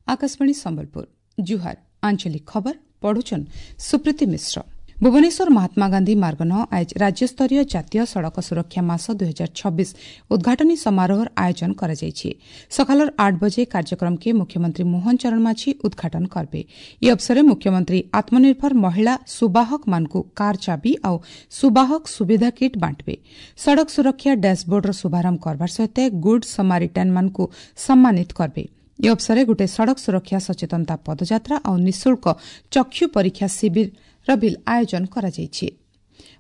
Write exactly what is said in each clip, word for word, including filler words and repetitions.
ଆକାଶବାଣୀ ସମ୍ବଲପୁର ଜୁହାର ଆଞ୍ଚଳିକ ଖବର ପଢୁଛନ୍ ସୁପ୍ରୀତି ମିଶ୍ର ଭୁବନେଶ୍ୱର ମହାତ୍ମାଗାନ୍ଧୀ ମାର୍ଗନ ଆଜ ରାଜ୍ୟସ୍ତରୀୟ ଜାତୀୟ ସଡ଼କ ସୁରକ୍ଷା ମାସ ଦୁଇ ହଜାର ଛବିଶ ଉଦ୍ଘାଟନୀ ସମାରୋହର ଆୟୋଜନ କରାଯାଇଛି ସକାଳର ଆଠ ବଜେ କାର୍ଯ୍ୟକ୍ରମକେ ମୁଖ୍ୟମନ୍ତ୍ରୀ ମୋହନ ଚରଣ ମାଝୀ ଉଦ୍ଘାଟନ କରିବେ ଏହି ଅବସରରେ ମୁଖ୍ୟମନ୍ତ୍ରୀ ଆତ୍ମନିର୍ଭର ମହିଳା ସୁବାହକମାନଙ୍କୁ କାର୍ ଚାବି ଆଉ ସୁବାହକ ସୁବିଧା କିଟ୍ ବାଣ୍ଟିବେ ସଡ଼କ ସୁରକ୍ଷା ଡ୍ୟାସବୋର୍ଡର ଶୁଭାରମ୍ଭ କରବାର ସହିତ ଗୁଡ୍ ସମାରିଟାନ୍ମାନଙ୍କୁ ସମ୍ମାନିତ କରିବେ ଏହି ଅବସରରେ ଗୋଟିଏ ସଡ଼କ ସୁରକ୍ଷା ସଚେତନତା ପଦଯାତ୍ରା ଆଉ ନିଃଶୁଳ୍କ ଚକ୍ଷୁ ପରୀକ୍ଷା ଶିବିରର ବିଲ୍ ଆୟୋଜନ କରାଯାଇଛି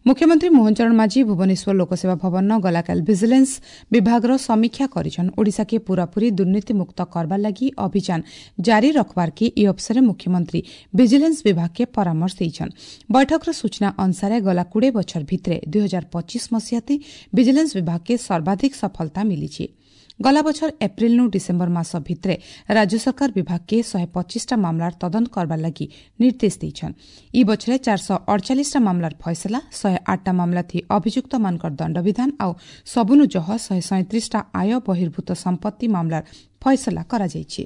ମୁଖ୍ୟମନ୍ତ୍ରୀ ମୋହନ ଚରଣ ମାଝୀ ଭୁବନେଶ୍ୱର ଲୋକସେବା ଭବନ ଗଲାକାଲି ଭିଜିଲାନ୍ସ ବିଭାଗର ସମୀକ୍ଷା କରିଛନ୍ ଓଡ଼ିଶାକେ ପୂରାପୂରି ଦୁର୍ନୀତିମୁକ୍ତ କରବାର ଲାଗି ଅଭିଯାନ ଜାରି ରଖବାର୍କେ ଏହି ଅବସରରେ ମୁଖ୍ୟମନ୍ତ୍ରୀ ଭିଜିଲାନ୍ସ ବିଭାଗକେ ପରାମର୍ଶ ଦେଇଛନ୍ ବୈଠକର ସୂଚନା ଅନୁସାରେ ଗଲା କୋଡ଼ିଏ ବଛର ଭିତରେ ଦୁଇ ହଜାର ପଚିଶ ମସିହାତି ଭିଜିଲାନ୍ସ ବିଭାଗକେ ସର୍ବାଧିକ ସଫଳତା ମିଳିଛି ଗଲା ବଛର ଏପ୍ରିଲନୁ ଡିସେମ୍ବର ମାସ ଭିତରେ ରାଜ୍ୟ ସରକାର ବିଭାଗକେ ଶହେ ପଚିଶଟା ମାମଲାର ତଦନ୍ତ କରବାର ଲାଗି ନିର୍ଦ୍ଦେଶ ଦେଇଛନ୍ ଇ ବଛରେ ଚାରିଶହ ଅଡ଼ଚାଳିଶଟା ମାମଲାର ଫଇସଲା ଶହେ ଆଠଟା ମାମଲା ଥି ଅଭିଯୁକ୍ତମାନଙ୍କର ଦଣ୍ଡବିଧାନ ଆଉ ସବୁନୁ ଜହ ଶହେ ସଇଁତ୍ରିଶଟା ଆୟ ବହିର୍ଭୂତ ସମ୍ପତ୍ତି ମାମଲାର ଫଇସଲା କରାଯାଇଛି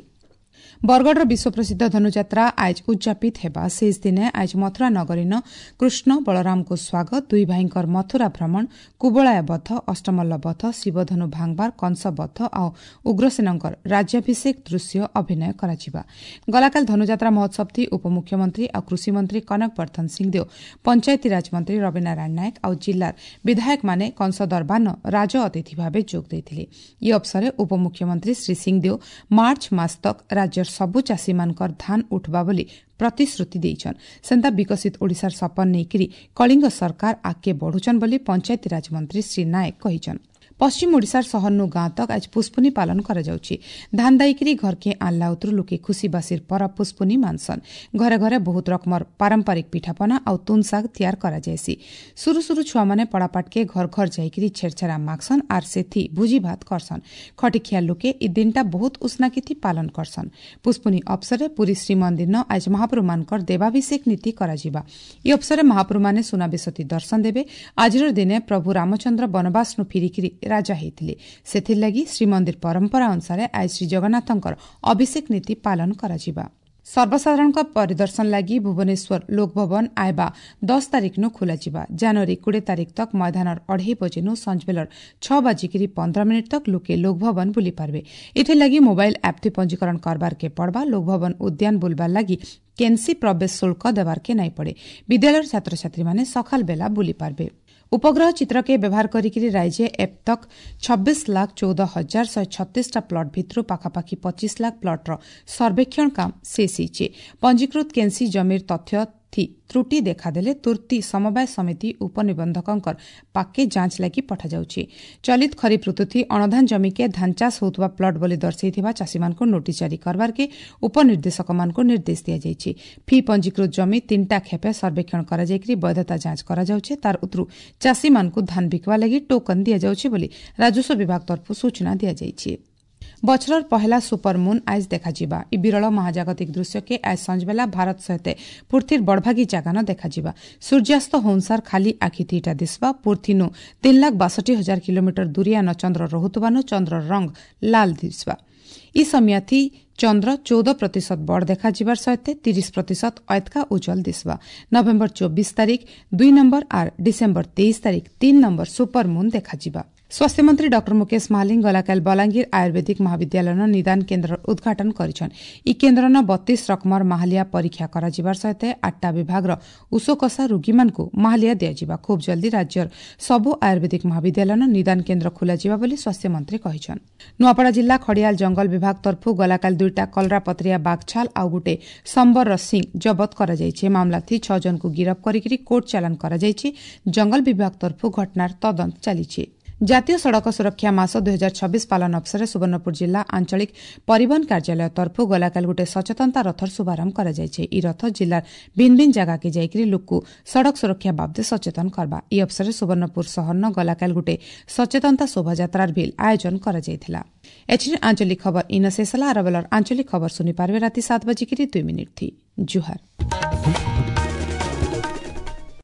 ବରଗଡ଼ର ବିଶ୍ୱପ୍ରସିଦ୍ଧ ଧନୁଯାତ୍ରା ଆଜ ଉଦ୍ଯାପିତ ହେବା ଶେଷ ଦିନେ ଆଜ ମଥୁରା ନଗରୀନ କୃଷ୍ଣ ବଳରାମଙ୍କୁ ସ୍ୱାଗତ ଦୁଇ ଭାଇଙ୍କର ମଥୁରା ଭ୍ରମଣ କୁବଳାୟ ବଧ ଅଷ୍ଟମଲ୍ଲ ବଧ ଶିବଧନୁ ଭାଙ୍ଗବାର କଂସ ବଧ ଆଉ ଉଗ୍ରସେନଙ୍କର ରାଜ୍ୟାଭିଷେକ ଦୃଶ୍ୟ ଅଭିନୟ କରାଯିବା ଗଲାକାଲି ଧନୁଯାତ୍ରା ମହୋତ୍ସବଥି ଉପମୁଖ୍ୟମନ୍ତ୍ରୀ ଆଉ କୃଷିମନ୍ତ୍ରୀ କନକ ବର୍ଦ୍ଧନ ସିଂଦେଓ ପଞ୍ଚାୟତିରାଜ ମନ୍ତ୍ରୀ ରବିନାରାୟଣ ନାୟକ ଆଉ ଜିଲ୍ଲାର ବିଧାୟକମାନେ କଂସ ଦରବାରନ ରାଜ ଅତିଥି ଭାବେ ଯୋଗ ଦେଇଥିଲେ ଏହି ଅବସରରେ ଉପମୁଖ୍ୟମନ୍ତ୍ରୀ ଶ୍ରୀ ସିଂଦେଓ ମାର୍ଚ୍ଚ ମାସ ତକ୍ ରାଜ୍ୟର ସବୁ ଚାଷୀମାନଙ୍କର ଧାନ ଉଠବା ବୋଲି ପ୍ରତିଶ୍ରୁତି ଦେଇଛନ୍ ସେନ୍ତା ବିକଶିତ ଓଡ଼ିଶାର ସପନ ନେଇକରି କଳିଙ୍ଗ ସରକାର ଆଗକେ ବଢୁଛନ୍ ବୋଲି ପଞ୍ଚାୟତିରାଜ ମନ୍ତ୍ରୀ ଶ୍ରୀ ନାୟକ କହିଛନ୍ ପଶ୍ଚିମ ଓଡ଼ିଶାର ସହରନୁ ଗାଁ ତକ୍ ଆଜ ପୁଷ୍ପୁନି ପାଳନ କରାଯାଉଛି ଧାନ ଦାଇକିରି ଘରକେ ଆଣଲା ଉତରୁ ଲୋକେ ଖୁସିବାସିର ପରବ ପୁଷ୍ପୁନି ମାନସନ୍ ଘରେ ଘରେ ବହୁତ ରକମର ପାରମ୍ପରିକ ପିଠାପନା ଆଉ ତୁନ ଶାଗ ତିଆର କରାଯାଏସି ସୁରୁ ସୁରୁ ଛୁଆମାନେ ପଡ଼ାପାଟକେ ଘର ଘର ଯାଇକିରି ଛେରଛେରା ମାଗସନ୍ ଆର୍ ସେଥି ଭୋଜି ଭାତ କରସନ୍ ଖଟିଖିଆ ଲୋକେ ଇ ଦିନଟା ବହୁତ ଉଷ୍ଣାକିଥି ପାଳନ କରସନ୍ ପୁଷ୍ପୁନି ଅବସରରେ ପୁରୀ ଶ୍ରୀମନ୍ଦିରନ ଆଜ ମହାପ୍ରଭୁମାନଙ୍କର ଦେବାଭିଷେକ ନୀତି କରାଯିବା ଇ ଅବସରରେ ମହାପ୍ରଭୁମାନେ ସୁନାବେଶତି ଦର୍ଶନ ଦେବେ ଆଜିର ଦିନେ ପ୍ରଭୁ ରାମଚନ୍ଦ୍ର ବନବାସନୁ ଫିରିକିରି ରାଜା ହେଇଥିଲେ ସେଥିର୍ଲାଗି ଶ୍ରୀମନ୍ଦିର ପରମ୍ପରା ଅନୁସାରେ ଆଜି ଶ୍ରୀଜଗନ୍ନାଥଙ୍କର ଅଭିଷେକ ନୀତି ପାଳନ କରାଯିବା ସର୍ବସାଧାରଣଙ୍କ ପରିଦର୍ଶନ ଲାଗି ଭୁବନେଶ୍ୱର ଲୋକଭବନ ଆଇବା ଦଶ ତାରିଖନୁ ଖୋଲାଯିବା ଜାନୁଆରୀ କୋଡ଼ିଏ ତାରିଖ ତକ୍ ମଇଦାନର ଅଢ଼େଇ ବଜେନୁ ସଞ୍ଜବେଲର ଛଅ ବାଜିକିରି ପନ୍ଦର ମିନିଟ୍ ତକ୍ ଲୋକେ ଲୋକଭବନ ବୁଲି ପାରବେ ଏଥିଲାଗି ମୋବାଇଲ ଆପ୍ଥି ପଞ୍ଜୀକରଣ କରବାରକେ ପଡ଼ବା ଲୋକଭବନ ଉଦ୍ୟାନ ବୁଲବାର ଲାଗି କେନ୍ସି ପ୍ରବେଶ ଶୁଳ୍କ ଦେବାରକେ ନାଇଁ ପଡ଼େ ବିଦ୍ୟାଳୟର ଛାତ୍ରଛାତ୍ରୀମାନେ ସକାଳ ବେଲା ବୁଲି ପାରବେ ଉପଗ୍ରହ ଚିତ୍ରକେ ବ୍ୟବହାର କରିକିରି ରାଇଜେ ଏପ୍ ତକ୍ ଛବିଶ ଲାଖ ଚଉଦ ହଜାର ଶହେ ଛତିଶଟା ପ୍ଲଟ୍ ଭିତରୁ ପାଖାପାଖି ପଚିଶ ଲାଖ ପ୍ଲଟ୍ର ସର୍ବେକ୍ଷଣ କାମ ଶେଷ ହେଇଛି ପଞ୍ଜୀକୃତ କେନ୍ସି ଜମିର ତଥ୍ୟ ଥି ତ୍ରୁଟି ଦେଖାଦେଲେ ତୁର୍ତ୍ତି ସମବାୟ ସମିତି ଉପନିବନ୍ଧକଙ୍କର ପାକେ ଯାଞ୍ଚ ଲାଗି ପଠାଯାଉଛି ଚଳିତ ଖରିଫ ଋତୁଥି ଅଣଧାନ ଜମିକେ ଧାନ ଚାଷ ହେଉଥିବା ପ୍ଲଟ୍ ବୋଲି ଦର୍ଶାଇଥିବା ଚାଷୀମାନଙ୍କୁ ନୋଟିସ୍ ଜାରି କରବାର୍କେ ଉପନିର୍ଦ୍ଦେଶକମାନଙ୍କୁ ନିର୍ଦ୍ଦେଶ ଦିଆଯାଇଛି ଫି ପଞ୍ଜୀକୃତ ଜମି ତିନିଟା ଖେପେ ସର୍ବେକ୍ଷଣ କରାଯାଇକରି ବୈଧତା ଯାଞ୍ଚ କରାଯାଉଛି ତାର ଉତରୁ ଚାଷୀମାନଙ୍କୁ ଧାନ ବିକବା ଲାଗି ଟୋକନ ଦିଆଯାଉଛି ବୋଲି ରାଜସ୍ୱ ବିଭାଗ ତରଫରୁ ସୂଚନା ଦିଆଯାଇଛି ବଛରର ପହେଲା ସୁପର ମୁନ୍ ଆଜ ଦେଖାଯିବା ଇ ବିରଳ ମହାଜାଗତିକ ଦୃଶ୍ୟକେ ଆଜ ସଞ୍ଜବେଲା ଭାରତ ସହିତ ପୃଥିବୀର ବଡ଼ଭାଗୀ ଜାଗାନ ଦେଖାଯିବା ସୂର୍ଯ୍ୟାସ୍ତ ହଉନସାର ଖାଲି ଆଖି ଥିଟା ଦିଶବା ପୃଥିନୁ ତିନି ଲାଖ ବାଷଠି ହଜାର କିଲୋମିଟର ଦୂରିଆନ ଚନ୍ଦ୍ର ରହୁଥିବାନୁ ଚନ୍ଦ୍ରର ରଙ୍ଗ ଲାଲ ଦିଶବା ଇ ସମିୟାଥି ଚନ୍ଦ୍ର ଚଉଦ ପ୍ରତିଶତ ବଡ଼ ଦେଖାଯିବାର ସହିତ ତିରିଶ ପ୍ରତିଶତ ଅଏତକା ଉଜ୍ଜଳ ଦିଶବା ନଭେମ୍ବର ଚବିଶ ତାରିଖ ଦୁଇ ନମ୍ବର ଆର୍ ଡିସେମ୍ବର ତେଇଶ ତାରିଖ ତିନି ନମ୍ବର ସୁପର ମୁନ୍ ଦେଖାଯିବା ସ୍ୱାସ୍ଥ୍ୟମନ୍ତ୍ରୀ ଡକ୍ଟର ମୁକେଶ ମହାଲିଙ୍ଗ ଗଲାକାଲି ବଲାଙ୍ଗୀର ଆୟୁର୍ବେଦିକ ମହାବିଦ୍ୟାଳୟର ନିଦାନ କେନ୍ଦ୍ରର ଉଦ୍ଘାଟନ କରିଛନ୍ ଇ କେନ୍ଦ୍ରନ ବତିଶ ରକମର ମାହାଲିଆ ପରୀକ୍ଷା କରାଯିବାର ସହିତ ଆଠଟା ବିଭାଗର ଉଷୋକଷା ରୋଗୀମାନଙ୍କୁ ମାହାଲିଆ ଦିଆଯିବା ଖୁବ୍ ଜଲ୍ଦି ରାଜ୍ୟର ସବୁ ଆୟୁର୍ବେଦିକ ମହାବିଦ୍ୟାଳୟର ନିଦାନ କେନ୍ଦ୍ର ଖୋଲାଯିବା ବୋଲି ସ୍ୱାସ୍ଥ୍ୟମନ୍ତ୍ରୀ କହିଛନ୍ ନୂଆପଡ଼ା ଜିଲ୍ଲା ଖଡ଼ିଆଲ ଜଙ୍ଗଲ ବିଭାଗ ତରଫରୁ ଗଲାକାଲି ଦୁଇଟା କଲରାପତ୍ରିଆ ବାଘଛାଲ ଆଉ ଗୋଟେ ସମ୍ବରର ସିଂ ଜବତ କରାଯାଇଛି ମାମଲାଥି ଛଅ ଜଣଙ୍କୁ ଗିରଫ କରିକି କୋର୍ଟ ଚାଲାଣ କରାଯାଇଛି ଜଙ୍ଗଲ ବିଭାଗ ତରଫରୁ ଘଟଣାର ତଦନ୍ତ ଚାଲିଛି ଜାତୀୟ ସଡ଼କ ସୁରକ୍ଷା ମାସ ଦୁଇ ହଜାର ଛବିଶ ପାଳନ ଅବସରରେ ସୁବର୍ଣ୍ଣପୁର ଜିଲ୍ଲା ଆଞ୍ଚଳିକ ପରିବହନ କାର୍ଯ୍ୟାଳୟ ତରଫରୁ ଗଲାକାଲି ଗୋଟିଏ ସଚେତନତା ରଥର ଶୁଭାରମ୍ଭ କରାଯାଇଛି ଇ ରଥ ଜିଲ୍ଲାର ଭିନ୍ନ ଭିନ୍ନ ଜାଗାକେ ଯାଇକରି ଲୋକକୁ ସଡ଼କ ସୁରକ୍ଷା ବାବଦେ ସଚେତନ କରବା ଇ ଅବସରରେ ସୁବର୍ଣ୍ଣପୁର ସହରନ ଗଲାକାଲି ଗୋଟିଏ ସଚେତନତା ଶୋଭାଯାତ୍ରାର ଭିଲ୍ ଆୟୋଜନ କରାଯାଇଥିଲା ଏଥିରେ ଆଞ୍ଚଳିକ ଖବର ଇନ ଶେଷ ହେଲା ଆର ବେଲର ଆଞ୍ଚଳିକ ଖବର ଶୁଣିପାରିବେ ରାତି ସାତ ବାଜିକିରି ଦୁଇ ମିନିଟ୍ ଥି ଜୁହାର।